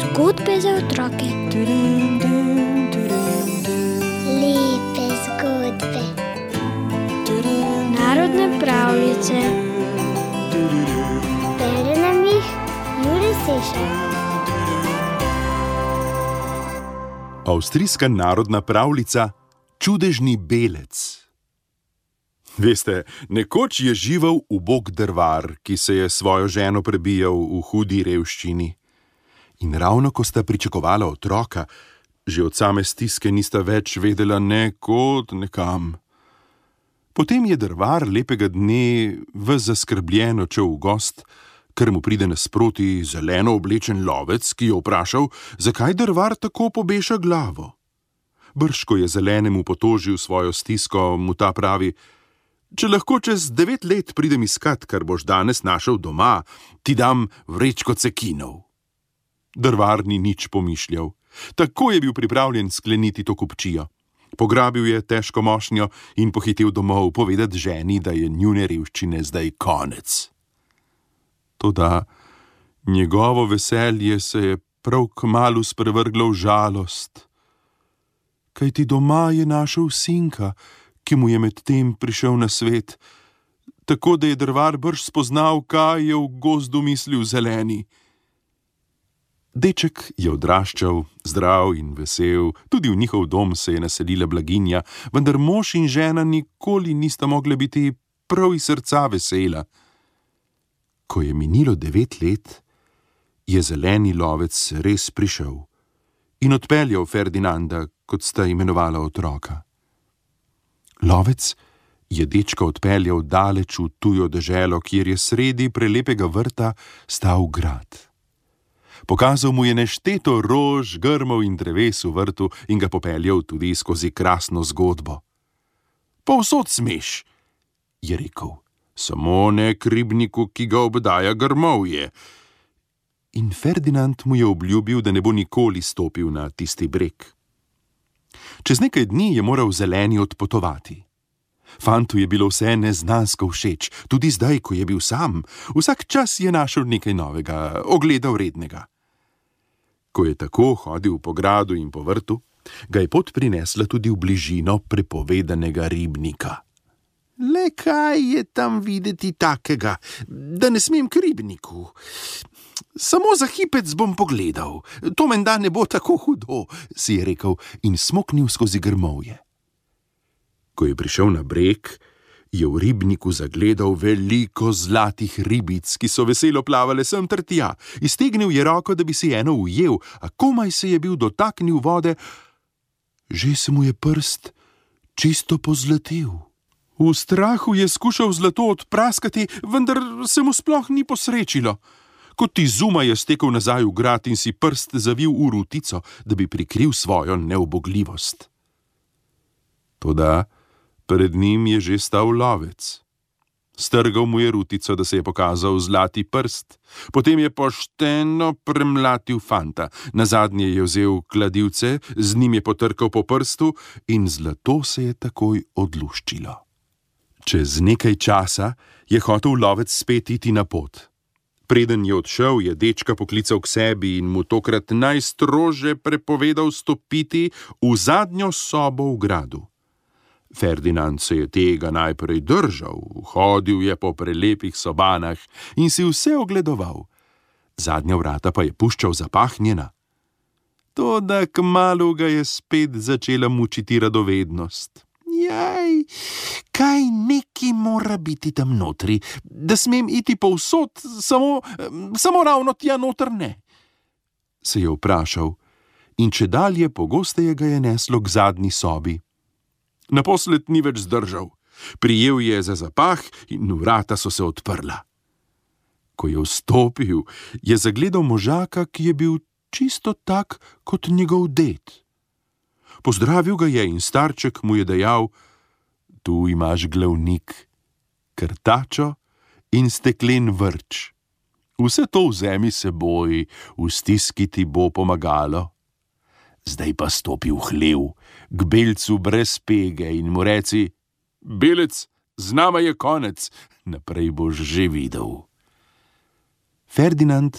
Zgodbe za otroke. Lepe zgodbe. Narodne pravljice. Bere nam jih Jure Sešar. Avstrijska narodna pravljica Čudežni belec. Veste, nekoč je živel ubog drvar, ki se je svojo ženo prebijal v hudi revščini. In ravno ko sta pričakovala otroka, že od same stiske nista več vedela ne kod, ne kam. Potem je drvar lepega dne ves zaskrbljen odšel v gost, ker mu pride nasproti zeleno oblečen lovec, ki je vprašal, zakaj drvar tako pobeša glavo. Brž, ko je zelenemu potožil svojo stisko, mu ta pravi: če lahko čez 9 let pridem iskat, kar boš danes našel doma, ti dam vrečko cekinov. Drvar ni nič pomišljal. Tako je bil pripravljen skleniti to kupčijo. Pograbil je težko mošnjo in pohitel domov povedati ženi, da je njune revščine zdaj konec. Toda njegovo veselje se je prav kmalu sprevrglo v žalost. Kajti doma je našel sinka, ki mu je medtem prišel na svet, tako da je drvar brž spoznal, kaj je v gozdu mislil zeleni. Deček je odraščal, zdrav in vesel, tudi v njihov dom se je naselila blaginja, vendar mož in žena nikoli nista mogla biti prav iz srca vesela. Ko je minilo 9 let, je zeleni lovec res prišel in odpeljal Ferdinanda, kot sta imenovala otroka. Lovec je dečka odpeljal daleč v tujo deželo, kjer je sredi prelepega vrta stal grad. Pokazal mu je nešteto rož, grmov in dreves v vrtu in ga popeljal tudi skozi krasno zgodbo. Povsod smeš, je rekel, samo ne k ribniku, ki ga obdaja grmovje. In Ferdinand mu je obljubil, da ne bo nikoli stopil na tisti breg. Čez nekaj dni je moral zeleni odpotovati. Fantu je bilo vse neznansko všeč, tudi zdaj, ko je bil sam. Vsak čas je našel nekaj novega, ogleda vrednega. Ko je tako hodil po gradu in po vrtu, ga je pot prinesla tudi v bližino prepovedanega ribnika. Le kaj je tam videti takega, da ne smem k ribniku? Samo za hipec bom pogledal, to menda ne bo tako hudo, si je rekel in smoknil skozi grmovje. Ko je prišel na breg, je v ribniku zagledal veliko zlatih ribic, ki so veselo plavale sem ter tja. Iztegnil je roko, da bi si eno ujel, a komaj se je bil dotaknil vode, že se mu je prst čisto pozlatil. V strahu je skušal zlato odpraskati, vendar se mu sploh ni posrečilo. Kot izuma je stekel nazaj v grad in si prst zavil v rutico, da bi prikril svojo neubogljivost. Toda pred njim je že stal lovec. Strgal mu je rutico, da se je pokazal zlati prst, potem je pošteno premlatil fanta, nazadnje je vzel kladivce, z njim je potrkal po prstu in zlato se je takoj odluščilo. Čez nekaj časa je hotel lovec spet iti na pot. Preden je odšel, je dečka poklical k sebi in mu tokrat najstrože prepovedal stopiti v zadnjo sobo v gradu. Ferdinand se je tega najprej držal, hodil je po prelepih sobanah in si vse ogledoval. Zadnja vrata pa je puščal zapahnjena. Toda kmalu ga je spet začela mučiti radovednost. Jaj, kaj neki mora biti tam notri, da smem iti povsod, samo ravno tja noter ne, se je vprašal in čedalje pogosteje ga je neslo k zadnji sobi. Naposled ni več zdržal, prijel je za zapah in vrata so se odprla. Ko je vstopil, je zagledal možaka, ki je bil čisto tak kot njegov ded. Pozdravil ga je in starček mu je dejal: tu imaš glavnik, krtačo in steklen vrč. Vse to vzemi seboj, v stiski ti bo pomagalo. Zdaj pa stopi v hlev, k belcu brez pege in mu reci: belec, z nama je konec, naprej boš že videl. Ferdinand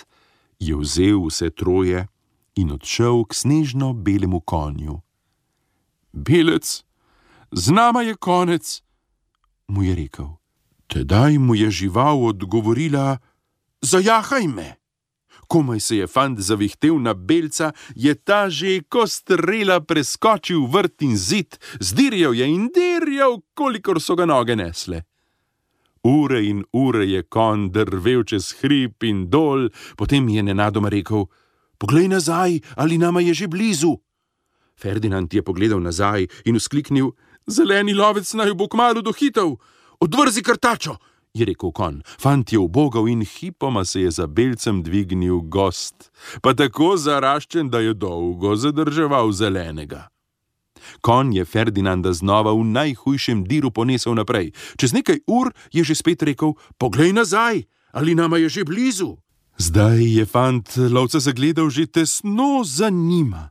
je vzel vse troje in odšel k snežno belemu konju. Belec, z nama je konec, mu je rekel. Tedaj mu je žival odgovorila, zajahaj me. Komaj se je fant zavihtel na belca, je ta že ko strela preskočil vrt in zid, zdirjal je in dirjal, kolikor so ga noge nesle. Ure in ure je konj drvel čez hrib in dol, potem je nenadoma rekel, poglej nazaj, ali nama je že blizu. Ferdinand je pogledal nazaj in vzkliknil, zeleni lovec naj bo kmalu dohitel. Odvrzi krtačo, je rekel konj. Fant je ubogal in hipoma se je za belcem dvignil gost, pa tako zaraščen, da je dolgo zadrževal zelenega. Konj je Ferdinanda znova v najhujšem diru ponesel naprej. Čez nekaj ur je že spet rekel, poglej nazaj, ali nama je že blizu. Zdaj je fant lovca zagledal že tesno za njima.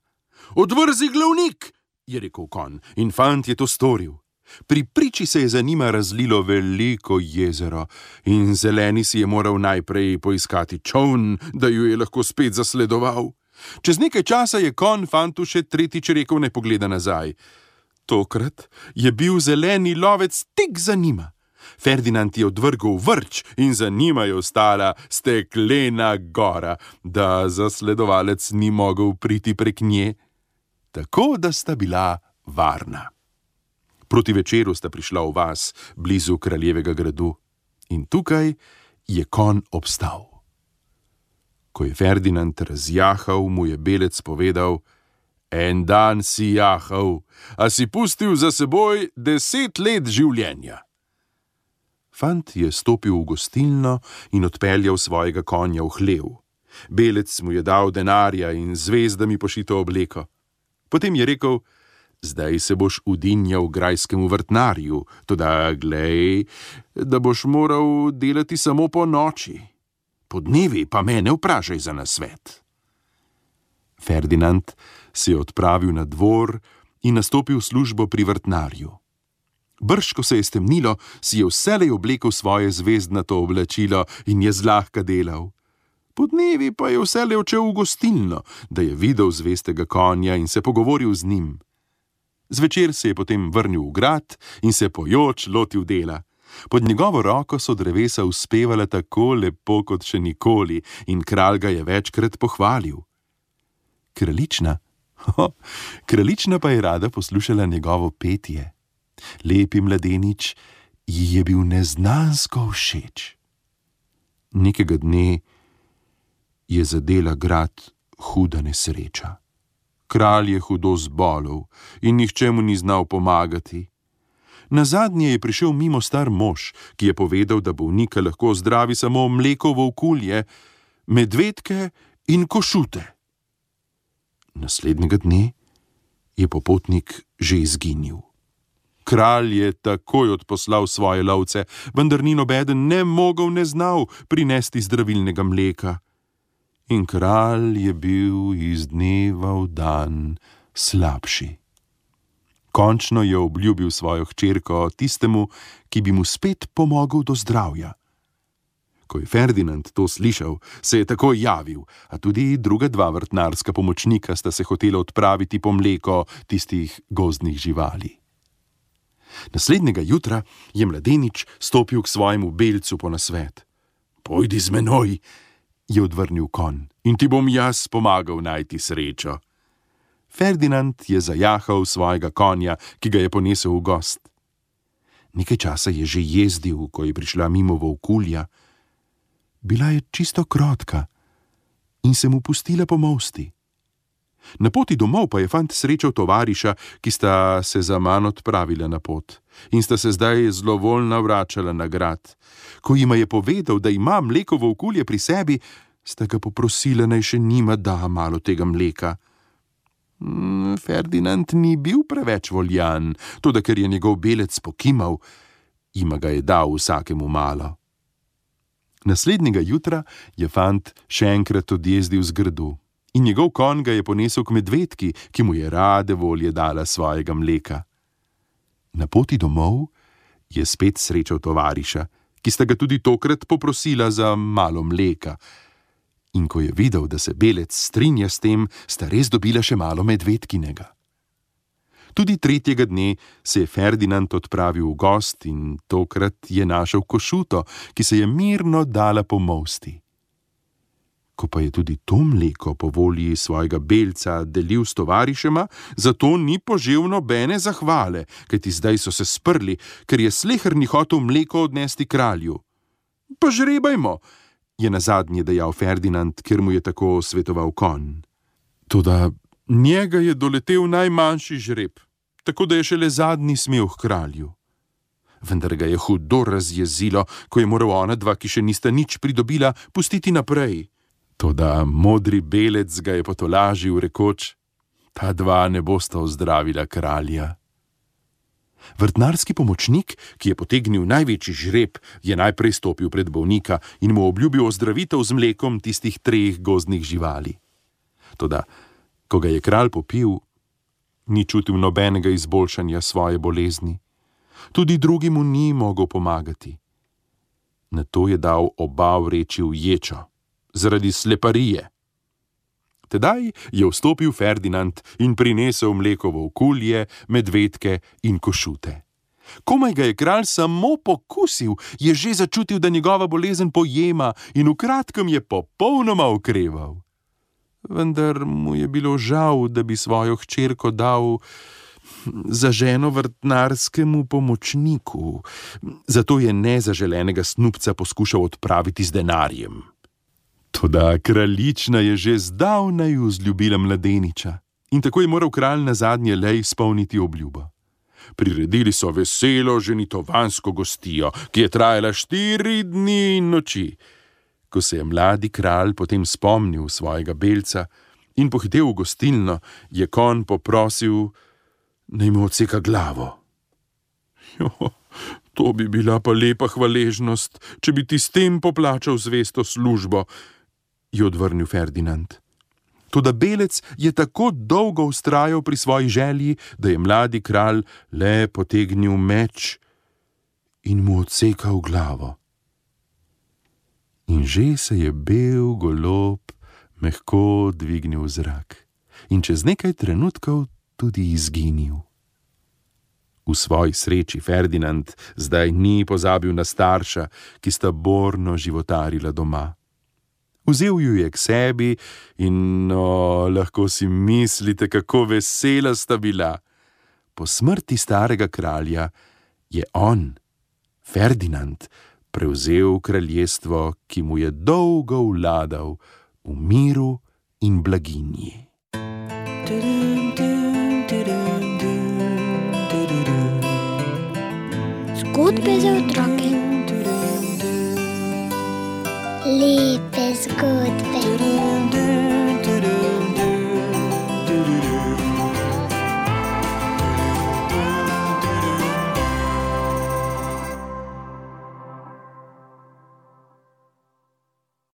Odvrzi glavnik, je rekel konj, in fant je to storil. Pri priči se je za njima razlilo veliko jezero in zeleni si je moral najprej poiskati čoln, da ju je lahko spet zasledoval. Čez nekaj časa je konj fantu še tretjič rekel, naj pogleda nazaj. Tokrat je bil zeleni lovec tik za njima. Ferdinand je odvrgel vrč in za njima je ostala steklena gora, da zasledovalec ni mogel priti prek nje, tako da sta bila varna. Proti večeru sta prišla v vas blizu kraljevega gradu in tukaj je konj obstal. Ko je Ferdinand razjahal, mu je belec povedal, en dan si jahal, a si pustil za seboj 10 let življenja. Fant je stopil v gostilno in odpeljal svojega konja v hlev. Belec mu je dal denarja in zvezdami pošito obleko. Potem je rekel, zdaj se boš udinjal grajskemu vrtnarju, toda glej, da boš moral delati samo po noči. Po dnevi pa me ne vprašaj za nasvet. Ferdinand se je odpravil na dvor in nastopil službo pri vrtnarju. Brž, ko se je stemnilo, si je vselej oblekel svoje zvezdnato oblačilo in je zlahka delal. Po dnevi pa je vselej odšel v gostilno, da je videl zvestega konja in se pogovoril z njim. Zvečer se je potem vrnil v grad in se pojoč lotil dela. Pod njegovo roko so drevesa uspevala tako lepo kot še nikoli in kralj ga je večkrat pohvalil. Kraljična pa je rada poslušala njegovo petje. Lepi mladenič ji je bil neznansko všeč. Nekega dne je zadela grad huda nesreča. Kralj je hudo zbolel in nihče mu ni znal pomagati. Nazadnje je prišel mimo star mož, ki je povedal, da bolnika lahko zdravi samo mleko volkulje, medvedke in košute. Naslednjega dne je popotnik že izginil. Kralj je takoj odposlal svoje lovce, vendar ni nobeden ne mogel ne znal prinesti zdravilnega mleka. In kralj je bil iz dneva v dan slabši. Končno je obljubil svojo hčerko tistemu, ki bi mu spet pomogel do zdravja. Ko je Ferdinand to slišal, se je takoj javil, a tudi druga dva vrtnarska pomočnika sta se hotela odpraviti po mleko tistih gozdnih živali. Naslednjega jutra je mladenič stopil k svojemu belcu po nasvet. Pojdi z menoj, je odvrnil konj, in ti bom jaz pomagal najti srečo. Ferdinand je zajahal svojega konja, ki ga je ponesel v gost. Nekaj časa je že jezdil, ko je prišla mimo volkulja. Bila je čisto krotka in se mu pustila pomolsti. Na poti domov pa je fant srečal tovariša, ki sta se zaman odpravila na pot in sta se zdaj zlovoljna vračala na grad. Ko jima je povedal, da ima mleko volkulje pri sebi, sta ga poprosila, naj še njima da malo tega mleka. Ferdinand ni bil preveč voljan, toda ker je njegov belec pokimal, jima ga je dal vsakemu malo. Naslednjega jutra je fant še enkrat odjezdil z gradu in njegov konj ga je ponesel k medvedki, ki mu je rade volje dala svojega mleka. Na poti domov je spet srečal tovariša, ki sta ga tudi tokrat poprosila za malo mleka. In ko je videl, da se Belec strinja s tem, sta res dobila še malo medvedkinega. Tudi tretjega dne se je Ferdinand odpravil v gost in tokrat je našel Košuto, ki se je mirno dala pomolsti. Ko pa je tudi to mleko po volji svojega Belca delil s tovarišema, zato ni požel nobene zahvale, kajti zdaj so se sprli, ker je sleherni hotel mleko odnesti kralju. Pa žrebajmo, je nazadnje dejal Ferdinand, ker mu je tako svetoval konj. Toda njega je doletel najmanjši žreb, tako da je šele zadnji smel k kralju. Vendar ga je hudo razjezilo, ko je moral ona dva, ki še nista nič pridobila, pustiti naprej. Toda modri Belec ga je potolažil, rekoč: ta dva ne bosta ozdravila kralja. Vrtnarski pomočnik, ki je potegnil največji žreb, je najprej stopil pred bolnika in mu obljubil ozdravitev z mlekom tistih 3 gozdnih živali. Toda, ko ga je kralj popil, ni čutil nobenega izboljšanja svoje bolezni. Tudi drugi mu ni mogel pomagati. Nato je dal oba vreči v ječo, zaradi sleparije. Tedaj je vstopil Ferdinand in prinesel mlekovo okulje, medvedke in košute. Komaj ga je kralj samo pokusil, je že začutil, da njegova bolezen pojema in v kratkem je popolnoma okreval. Vendar mu je bilo žal, da bi svojo hčerko dal za ženo vrtnarskemu pomočniku, zato je nezaželenega snubca poskušal odpraviti z denarjem. Toda kraljična je že zdavnaj vzljubila mladeniča in tako je moral kralj nazadnje le izpolniti obljubo. Priredili so veselo ženitovansko gostijo, ki je trajala 4 dni in noči. Ko se je mladi kralj potem spomnil svojega Belca in pohitel v gostilno, je konj poprosil, naj mu odseka glavo. To bi bila pa lepa hvaležnost, če bi ti s tem poplačal zvesto službo, je odvrnil Ferdinand. Toda Belec je tako dolgo vztrajal pri svoji želji, da je mladi kralj le potegnil meč in mu odsekal glavo. In že se je bel golob mehko dvignil v zrak in čez nekaj trenutkov tudi izginil. V svoji sreči Ferdinand zdaj ni pozabil na starša, ki sta borno životarila doma. Vzel ju je k sebi in lahko si mislite, kako vesela sta bila. Po smrti starega kralja je on, Ferdinand, prevzel kraljestvo, ki mu je dolgo vladal v miru in blaginji. Zgodbe za otroke. Lepe zgodbe.